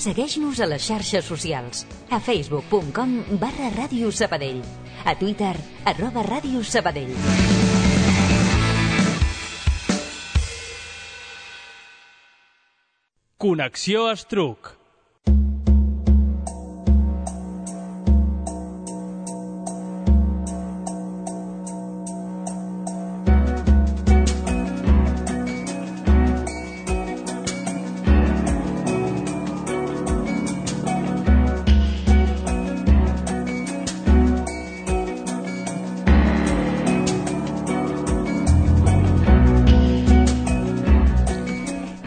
Segueix-nos a les xarxes socials. A facebook.com/Ràdio Sabadell. A Twitter, @Ràdio Sabadell. Connexió Estruc.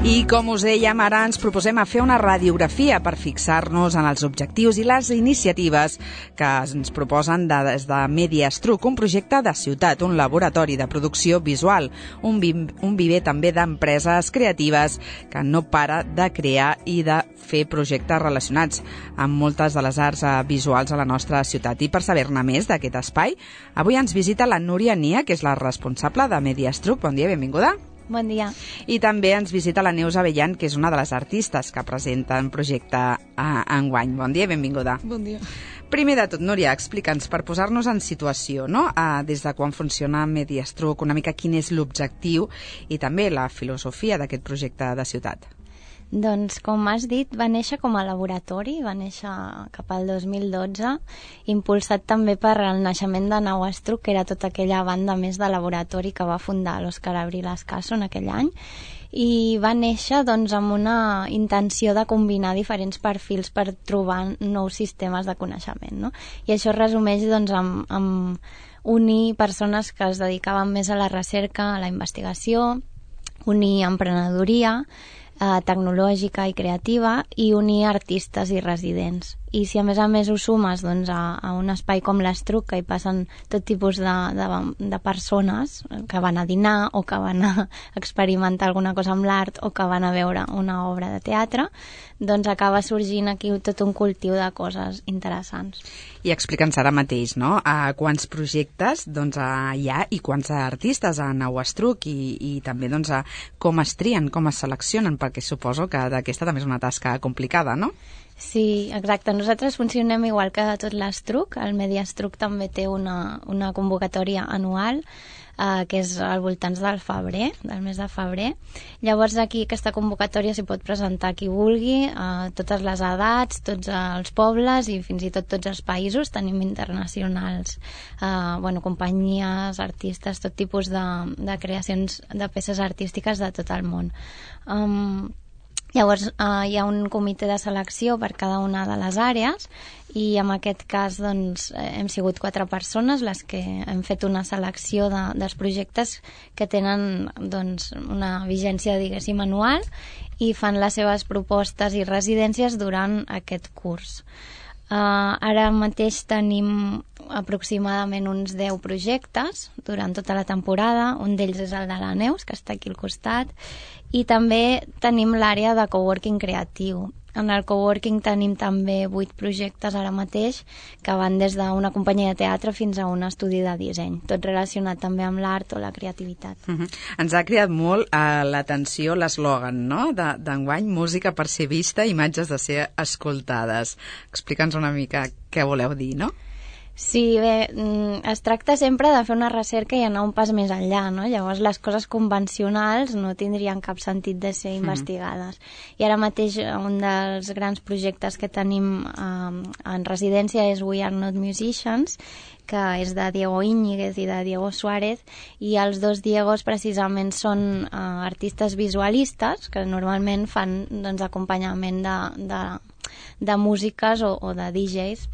I com us dèiem, ara ens proposem a fer una radiografia per fixar-nos en els objectius i les iniciatives que ens proposen des de Media Estruc, un projecte de ciutat, un laboratori de producció visual, un viver també d'empreses creatives que no para de crear i de fer projectes relacionats amb moltes de les arts visuals a la nostra ciutat. I per saber-ne més d'aquest espai, avui ens visita la Núria Nia, que és la responsable de Media Estruc. Bon dia, benvinguda. Bon dia. I també ens visita la Neus Abellan, que és una de les artistes que presenta el projecte enguany. Bon dia, benvinguda. Bon dia. Primer de tot, Núria, explica'ns, per posar-nos en situació, no? Des de quan funciona Media Estruc, una mica quin és l'objectiu i també la filosofia d'aquest projecte de ciutat. Doncs, com has dit, va néixer com a laboratori, va néixer cap al 2012, impulsat també per el naixement de Nau Estruc, que era tota aquella banda més de laboratori que va fundar l'Òscar Abril Escaso en aquell any, i va néixer doncs, amb una intenció de combinar diferents perfils per trobar nous sistemes de coneixement, no? I això es resumeix doncs, amb unir persones que es dedicaven més a la recerca, a la investigació, unir emprenedoria, tecnològica i creativa, i unir artistes i residents. I si a més ho sumes doncs, a un espai com l'Estruc, que hi passen tot tipus de persones que van a dinar o que van a experimentar alguna cosa amb l'art o que van a veure una obra de teatre, doncs acaba sorgint aquí tot un cultiu de coses interessants. I explica'ns ara mateix, no?, quants projectes doncs, hi ha i quants artistes a Nau Estruc i també doncs, com es trien, com es seleccionen, perquè suposo que aquesta també és una tasca complicada, no? Sí, exacte. Nosaltres funcionem igual que tot l'Estruc. El Media Estruc també té una convocatòria anual que és al voltant del febrer, del mes de febrer. Llavors aquí aquesta convocatòria s'hi pot presentar qui vulgui, totes les edats, tots els pobles i fins i tot tots els països. Tenim internacionals, companyies, artistes, tot tipus de creacions de peces artístiques de tot el món. Llavors hi ha un comitè de selecció per cada una de les àrees i en aquest cas doncs, hem sigut 4 persones les que hem fet una selecció dels projectes que tenen doncs, una vigència, diguéssim, anual i fan les seves propostes i residències durant aquest curs. Ara mateix tenim aproximadament uns 10 projectes durant tota la temporada. Un d'ells és el de la Neus, que està aquí al costat, i també tenim l'àrea de coworking creatiu. En el coworking tenim també 8 projectes ara mateix que van des d'una companyia de teatre fins a un estudi de disseny, tot relacionat també amb l'art o la creativitat. Ens ha cridat molt l'atenció l'eslògan, no?, d'enguany, música per ser vista, imatges de ser escoltades. Explica'ns una mica què voleu dir, no? Sí, bé, es tracta sempre de fer una recerca i anar un pas més enllà, no? Llavors les coses convencionals no tindrien cap sentit de ser investigades. I ara mateix un dels grans projectes que tenim en residència és We Are Not Musicians, que és de Diego Íñiguez i de Diego Suárez, i els dos Diegos precisament són artistes visualistes que normalment fan doncs, acompanyament de músiques o de DJs,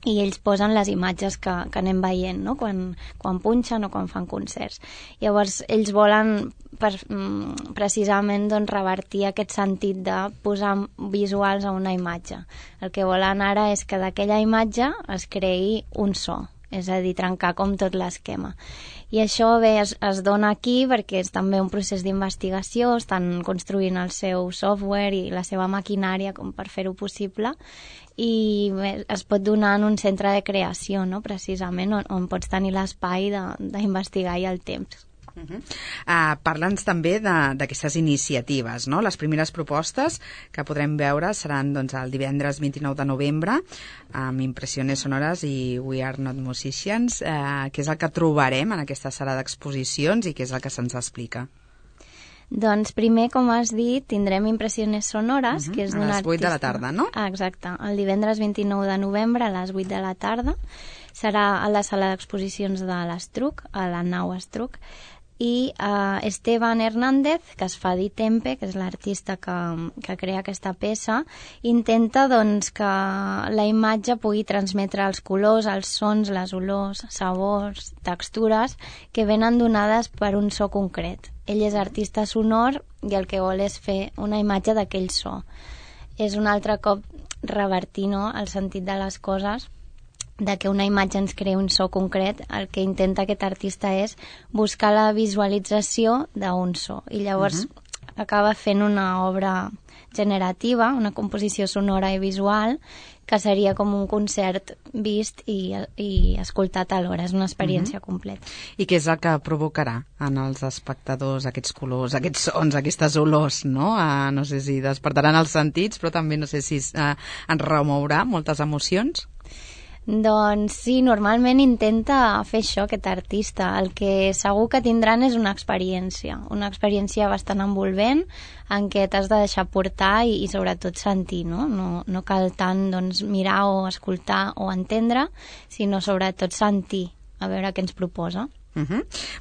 i ells posen les imatges que anem veient, no?, quan punxen o quan fan concerts. Llavors ells volen precisament doncs, revertir aquest sentit de posar visuals a una imatge. El que volen ara és que d'aquella imatge es creï un so, és a dir, trencar com tot l'esquema. I això bé es dona aquí perquè és també un procés d'investigació, estan construint el seu software i la seva maquinària com per fer-ho possible, i bé, es pot donar en un centre de creació, no?, precisament on pots tenir l'espai d'investigar i el temps. Parla'ns també d'aquestes iniciatives, no? Les primeres propostes que podrem veure seran doncs, el divendres 29 de novembre amb Impressiones Sonores i We Are Not Musicians, que és el que trobarem en aquesta sala d'exposicions i què és el que se'ns explica. Doncs primer, com has dit, tindrem Impressiones Sonores, que és d'un artista... A les 8 de la tarda, no? Exacte, el divendres 29 de novembre a les 8 de la tarda. Serà a la sala d'exposicions de l'Estruc, a la nau Estruc, i Esteban Hernández, que es fa dir Tempe, que és l'artista que crea aquesta peça, intenta doncs, que la imatge pugui transmetre els colors, els sons, les olors, sabors, textures, que venen donades per un so concret. Ell és artista sonor i el que vol és fer una imatge d'aquell so. És un altre cop revertir, no?, el sentit de les coses, de que una imatge ens crea un so concret. El que intenta aquest artista és buscar la visualització d'un so i llavors acaba fent una obra generativa, una composició sonora i visual, que seria com un concert vist i escoltat alhora. És una experiència completa. I què és el que provocarà en els espectadors aquests colors, aquests sons, aquestes olors, no? No sé si despertaran els sentits, però també no sé si ens remourà moltes emocions. Doncs sí, normalment intenta fer això, aquest artista. El que segur que tindran és una experiència bastant envolvent, en què t'has de deixar portar i sobretot sentir, no? No cal tant doncs, mirar o escoltar o entendre, sinó sobretot sentir, a veure què ens proposa.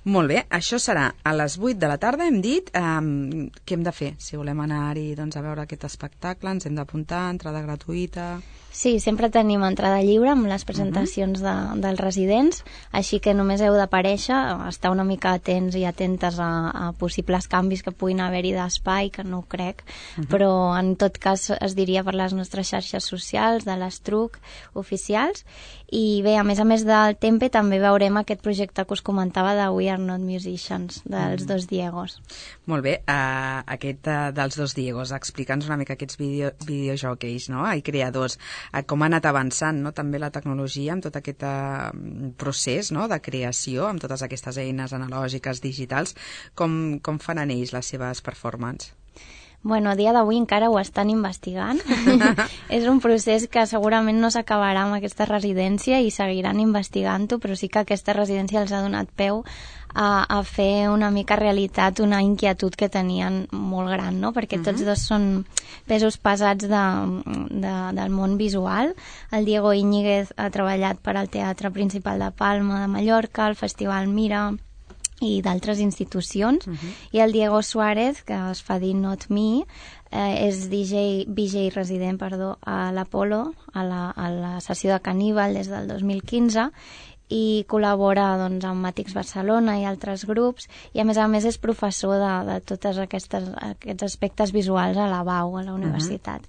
Molt bé, això serà a les 8 de la tarda, hem dit. Què hem de fer? Si volem anar-hi a veure aquest espectacle, ens hem d'apuntar, entrada gratuïta... Sí, sempre tenim entrada lliure amb les presentacions dels residents, així que només heu d'aparèixer, estar una mica atents i atentes a possibles canvis que puguin haver-hi d'espai, que no ho crec, però en tot cas es diria per les nostres xarxes socials, de l'Estruc, oficials, i bé, a més del Tempe també veurem aquest projecte que us comentava de We Are Not Musicians, dels dos Diegos. Molt bé, aquest dels dos Diegos, explica'ns una mica aquests videojockeys, no?, i creadors, com ha anat avançant, no?, també la tecnologia amb tot aquest procés, no?, de creació, amb totes aquestes eines analògiques, digitals, com fan en ells les seves performances? Bueno, a dia d'avui encara ho estan investigant. És un procés que segurament no s'acabarà amb aquesta residència i seguiran investigant-ho, però sí que aquesta residència els ha donat peu a fer una mica realitat una inquietud que tenien molt gran, no? Perquè tots dos són pesos pesats del món visual. El Diego Íñiguez ha treballat per al Teatre Principal de Palma de Mallorca, el Festival Mira i d'altres institucions, i el Diego Suárez, que es fa dir Not Me, és VJ resident a l'Apolo, a la sessió de Caníbal des del 2015, i col·labora doncs, amb Matix Barcelona i altres grups, i a més és professor de tots aquests aspectes visuals a la BAU, a la universitat.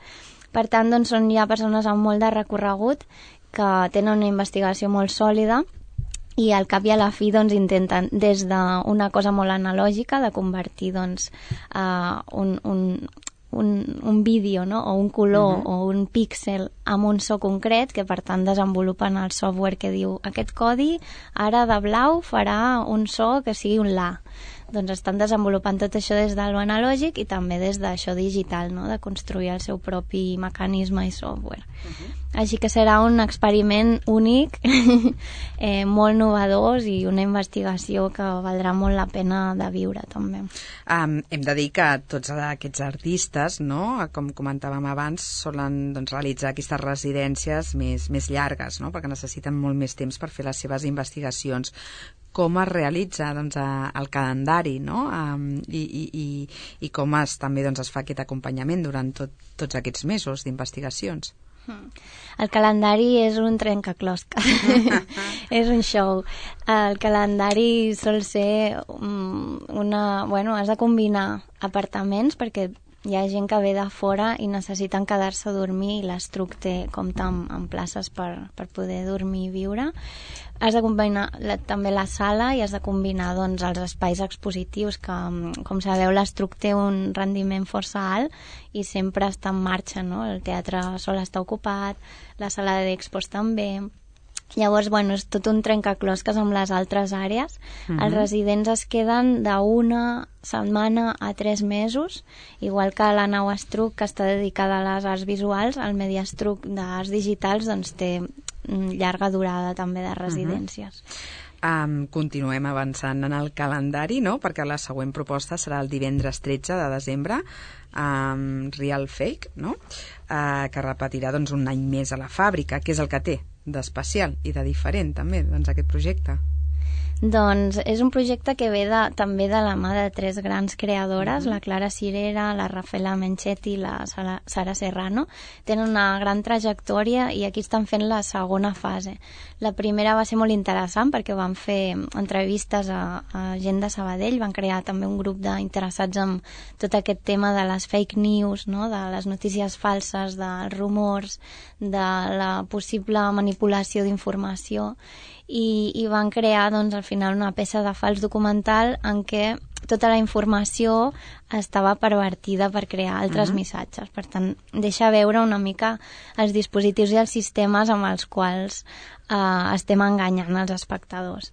Per tant, doncs, són ja persones amb molt de recorregut, que tenen una investigació molt sòlida, i al cap i a la fi doncs, intenten des d'una cosa molt analògica de convertir doncs, un vídeo, no?, o un color o un píxel amb un so concret, que per tant desenvolupen el software que diu aquest codi ara de blau farà un so que sigui un la. Doncs estan desenvolupant tot això des de l'analògic i també des d'això digital, no?, de construir el seu propi mecanisme i software. Així que serà un experiment únic, molt novedós i una investigació que valdrà molt la pena de viure també. Hem de dir que tots aquests artistes, no?, com comentàvem abans, solen doncs, realitzar aquestes residències més llargues, no?, perquè necessiten molt més temps per fer les seves investigacions. Com es realitza doncs, el calendari, no?, i com també doncs, es fa aquest acompanyament durant tots aquests mesos d'investigacions. El calendari és un trencaclosca. És un show. El calendari sol ser has de combinar apartaments, perquè hi ha gent que ve de fora i necessiten quedar-se a dormir, i l'Estruc compta amb places per poder dormir i viure. Has de combinar també la sala i has de combinar doncs, els espais expositius que, com sabeu, l'Estruc té un rendiment força alt i sempre està en marxa, no? El teatre sol estar ocupat, la sala d'expos també, Llavors, bueno, és tot un trencaclosques amb les altres àrees. Els residents es queden d'1 setmana a 3 mesos, igual que la nau Estruc, que està dedicada a les arts visuals, el Medi Estruc d'arts digitals doncs, té llarga durada també de residències. Continuem avançant en el calendari, no? Perquè la següent proposta serà el divendres 13 de desembre, Real Fake, no? Que repetirà doncs, un any més a la fàbrica. Què és el que té d'especial i de diferent també doncs, aquest projecte? Doncs és un projecte que ve també de la mà de 3 grans creadores, la Clara Cirera, la Rafaela Menchetti i la Sara Serrano. Tenen una gran trajectòria i aquí estan fent la segona fase. La primera va ser molt interessant perquè van fer entrevistes a gent de Sabadell, van crear també un grup d'interessats en tot aquest tema de les fake news, no? De les notícies falses, dels rumors, de la possible manipulació d'informació, i van crear doncs, al final una peça de fals documental en què tota la informació estava pervertida per crear altres missatges. Per tant, deixa veure una mica els dispositius i els sistemes amb els quals estem enganyant els espectadors.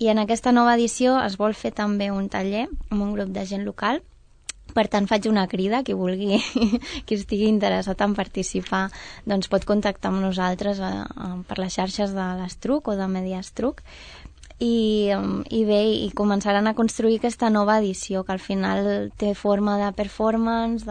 I en aquesta nova edició es vol fer també un taller amb un grup de gent local. Per tant, faig una crida, qui vulgui, qui estigui interessat en participar, doncs pot contactar amb nosaltres per les xarxes de l'Estruc o de Medi Estruc i bé, i començaran a construir aquesta nova edició, que al final té forma de performance,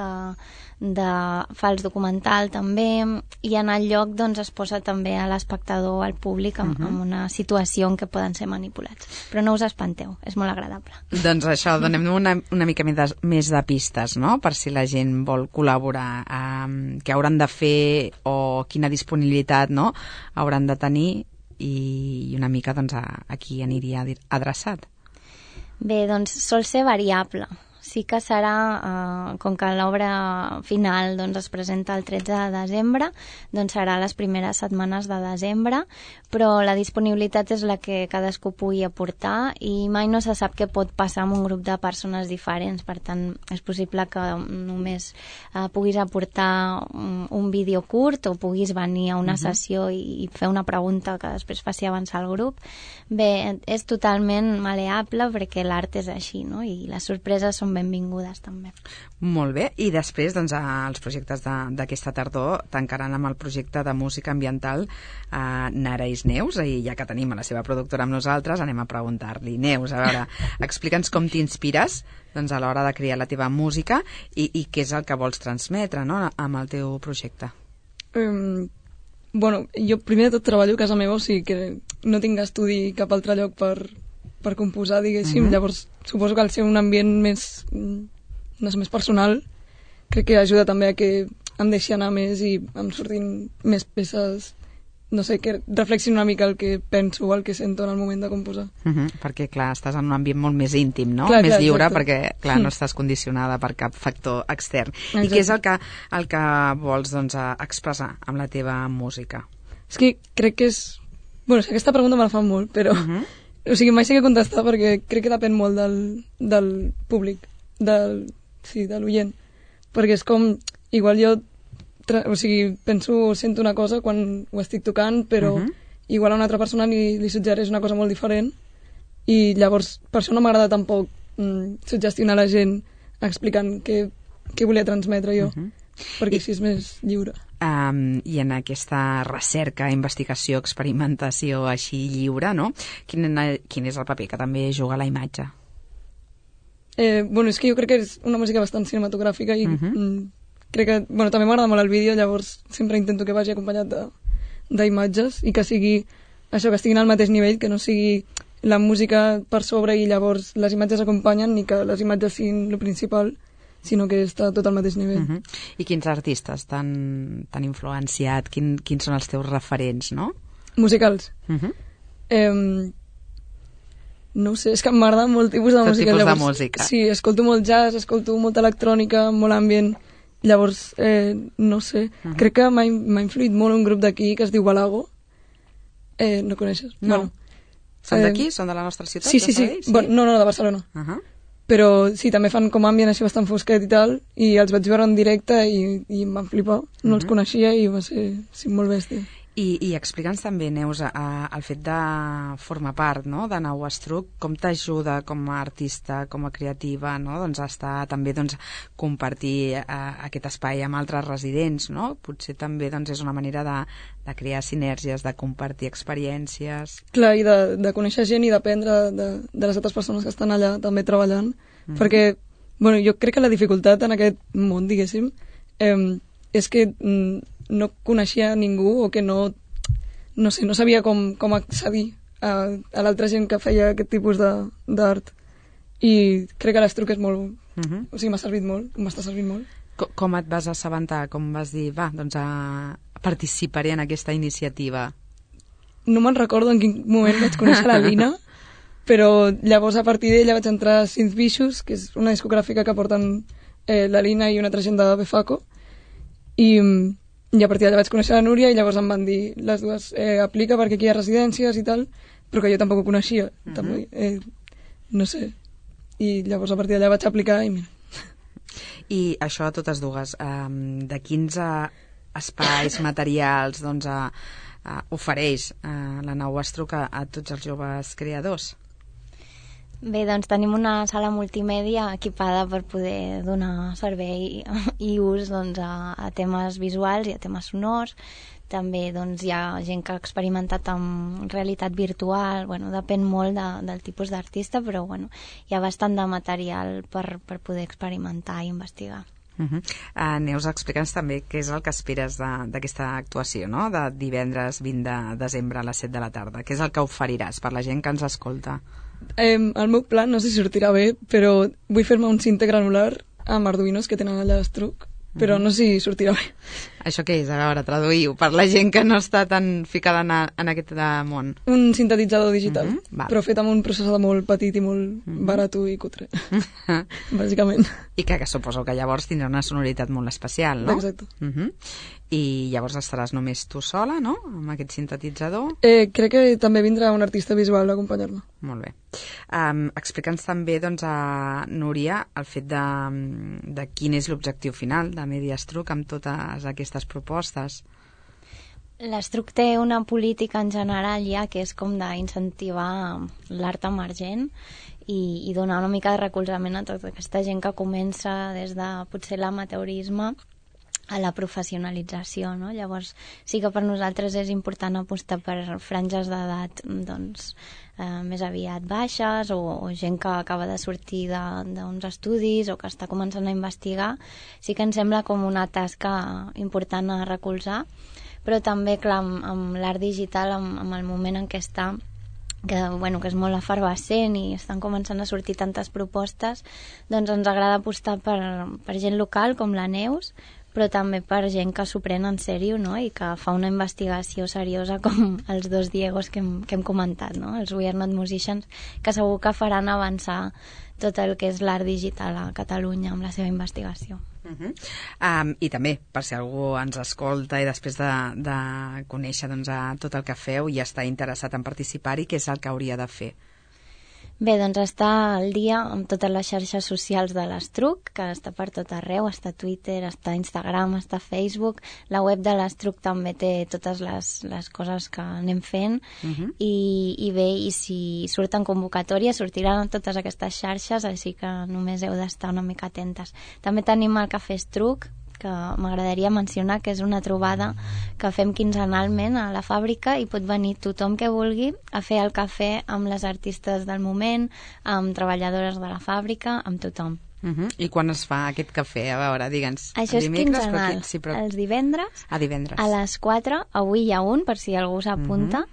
de fals documental també, i en el lloc doncs, es posa també a l'espectador, al públic, en una situació en què poden ser manipulats. Però no us espanteu, és molt agradable. Doncs això, donem una mica més de pistes, no?, per si la gent vol col·laborar, què hauran de fer o quina disponibilitat, no?, hauran de tenir, i una mica doncs, a qui aniria adreçat. Bé, doncs sol ser variable. Sí que serà, com que l'obra final doncs, es presenta el 13 de desembre, doncs serà les primeres setmanes de desembre, però la disponibilitat és la que cadascú pugui aportar i mai no se sap què pot passar amb un grup de persones diferents. Per tant, és possible que només puguis aportar un vídeo curt o puguis venir a una sessió i fer una pregunta que després faci avançar el grup. Bé, és totalment maleable perquè l'art és així, no? I les sorpreses són benvingudes també. Molt bé, i després doncs, els projectes d'aquesta tardor tancaran amb el projecte de música ambiental Nereis Neus, i ja que tenim a la seva productora amb nosaltres anem a preguntar-li. Neus, a veure, explica'ns com t'inspires doncs, a l'hora de crear la teva música i què és el que vols transmetre, no?, amb el teu projecte. Bueno, jo primer de tot treballo a casa meva, o sigui que no tinc estudi cap altre lloc per composar, diguéssim. Llavors suposo que al ser un ambient més personal, crec que ajuda també a que em deixi anar més i em surtin més peces, no sé, que reflexionin una mica el que penso o el que sento en el moment de composar. Perquè, clar, estàs en un ambient molt més íntim, no? Clar, més lliure, exacte. perquè, clar, no estàs condicionada per cap factor extern. Exacte. I què és el que vols, doncs, expressar amb la teva música? És que crec que és... Bueno, aquesta pregunta me la fan molt, però... O sigui, mai sé què contestar perquè crec que depèn molt del públic, de l'oient. Perquè és com... Igual jo... O sigui, sento una cosa quan ho estic tocant, però igual a una altra persona li suggereix una cosa molt diferent i llavors per això no m'agrada tampoc suggestionar la gent explicant què volia transmetre jo, perquè així és més lliure. I en aquesta recerca, investigació, experimentació així lliure, no? Quin és el paper que també juga la imatge? Bueno, és que jo crec que és una música bastant cinematogràfica i crec que, bueno, també m'agrada molt el vídeo, llavors sempre intento que vagi acompanyat d'imatges i que sigui això, que estiguin al mateix nivell, que no sigui la música per sobre i llavors les imatges acompanyen, ni que les imatges siguin el principal, sinó que està tot al mateix nivell. I quins artistes t'han influenciat? Quins són els teus referents, no? Musicals? No ho sé, és que m'agrada molt tipus de música. Tot tipus de música. Sí, escolto molt jazz, escolto molta electrònica, molt ambient. Llavors, no sé, crec que m'ha influït molt un grup d'aquí que es diu Balago. No coneixes? No. Bueno, són d'aquí? Són de la nostra ciutat? Sí. Bueno, no, de Barcelona. Però sí, també fan com ambient així bastant fosquet i tal, i els vaig veure en directe i em van flipar. No els coneixia i va ser molt bèstia. I explica'ns també, Neus, el fet de formar part, no?, de Nau Estruc, com t'ajuda com a artista, com a creativa, no?, doncs estar també compartir aquest espai amb altres residents, no? Potser també és una manera de crear sinergies, de compartir experiències. Clar, i de conèixer gent i d'aprendre de les altres persones que estan allà també treballant, perquè jo crec que la dificultat en aquest món, diguéssim, és que no coneixia ningú o que no sabia com accedir a l'altra gent que feia aquest tipus d'art. I crec que l'Estruc és molt... O sigui, m'ha servit molt, m'està servint molt. Com et vas assabentar? Com vas dir, participaré en aquesta iniciativa? No me'n recordo en quin moment vaig conèixer la Lina, però llavors a partir d'ella vaig entrar a Synth Vicious, que és una discogràfica que porten la Lina i una altra gent de Befaco, i a partir d'allà vaig conèixer la Núria i llavors em van dir les dues, aplica perquè aquí hi ha residències i tal, però que jo tampoc ho coneixia, no sé, i llavors a partir d'allà vaig aplicar i mira. I això a totes dues, de quins espais materials ofereix la Nau Estruc a tots els joves creadors? Bé, doncs tenim una sala multimèdia equipada per poder donar servei i ús a temes visuals i a temes sonors. També hi ha gent que ha experimentat amb realitat virtual, depèn molt del tipus d'artista, però hi ha bastant de material per poder experimentar i investigar. Neus, explica'ns també què és el que esperes d'aquesta actuació, no?, de divendres 20 de desembre a les 7 de la tarda. Què és el que oferiràs per la gent que ens escolta? El meu plan, no sé si sortirà bé, però vull fer-me un cinte granular amb arduïnos que tenen allà a l'Estruc, però no sé si sortirà bé. Això què és? A veure, traduïu per la gent que no està tan ficada en aquest món. Un sintetitzador digital, però fet amb un processador molt petit i molt barat i cutre, bàsicament. I que suposo que llavors tindrà una sonoritat molt especial, no? Exacte. I llavors estaràs només tu sola, no?, amb aquest sintetitzador? Crec que també vindrà un artista visual a acompanyar-me. Molt bé. Explica'ns també, Núria, el fet de quin és l'objectiu final de Media Estruc amb totes aquestes propostes. L'Estruc té una política en general ja que és com d'incentivar l'art emergent i donar una mica de recolzament a tota aquesta gent que comença des de potser l'amateurisme a la professionalització, no? Llavors sí que per nosaltres és important apostar per franges d'edat més aviat baixes o gent que acaba de sortir d'uns estudis o que està començant a investigar. Sí que ens sembla com una tasca important a recolzar, però també, clar, amb l'art digital, amb el moment en què està, que és molt efervescent i estan començant a sortir tantes propostes, doncs ens agrada apostar per gent local com la Neus, però també per gent que s'ho pren en sèrio, no?, i que fa una investigació seriosa com els dos Diegos que hem comentat, no?, els We Are Not Musicians, que segur que faran avançar tot el que és l'art digital a Catalunya amb la seva investigació. I també, per si algú ens escolta i després de conèixer tot el que feu i està interessat en participar-hi, què és el que hauria de fer? Bé, doncs està al dia amb totes les xarxes socials de l'Estruc, que està per tot arreu, està Twitter, està Instagram, està Facebook, la web de l'Estruc també té totes les coses que anem fent, i bé, i si surten convocatòries sortiran a totes aquestes xarxes, així que només heu d'estar una mica atentes. També tenim el Cafè Estruc, que m'agradaria mencionar que és una trobada que fem quinzenalment a la fàbrica i pot venir tothom que vulgui a fer el cafè amb les artistes del moment, amb treballadores de la fàbrica, amb tothom. I quan es fa aquest cafè? A veure, digue'ns. Això és quinzenal, els divendres, a les 4, avui hi ha un, per si algú s'apunta,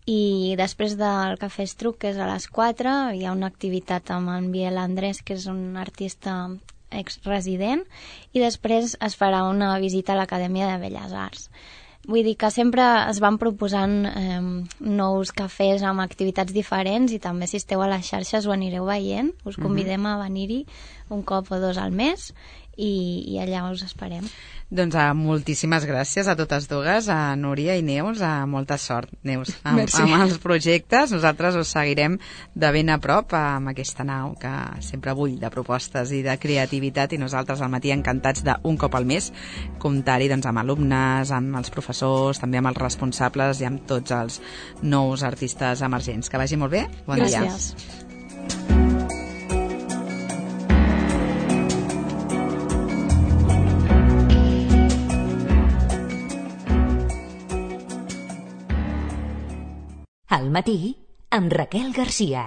i després del Cafè Estruc, que és a les 4, hi ha una activitat amb en Biel Andrés, que és un artista ex-resident, i després es farà una visita a l'Acadèmia de Belles Arts. Vull dir que sempre es van proposant nous cafès amb activitats diferents i també si esteu a les xarxes ho anireu veient. Us convidem a venir-hi un cop o dos al mes i allà us esperem. Doncs moltíssimes gràcies a totes dues, a Núria i Neus, molta sort, Neus, amb els projectes. Nosaltres us seguirem de ben a prop amb aquesta nau que sempre bull de propostes i de creativitat, i nosaltres al matí encantats d'un cop al mes comptar-hi doncs, amb alumnes, amb els professors, també amb els responsables i amb tots els nous artistes emergents. Que vagi molt bé, bon dia. Gràcies. Al matí, amb Raquel Garcia.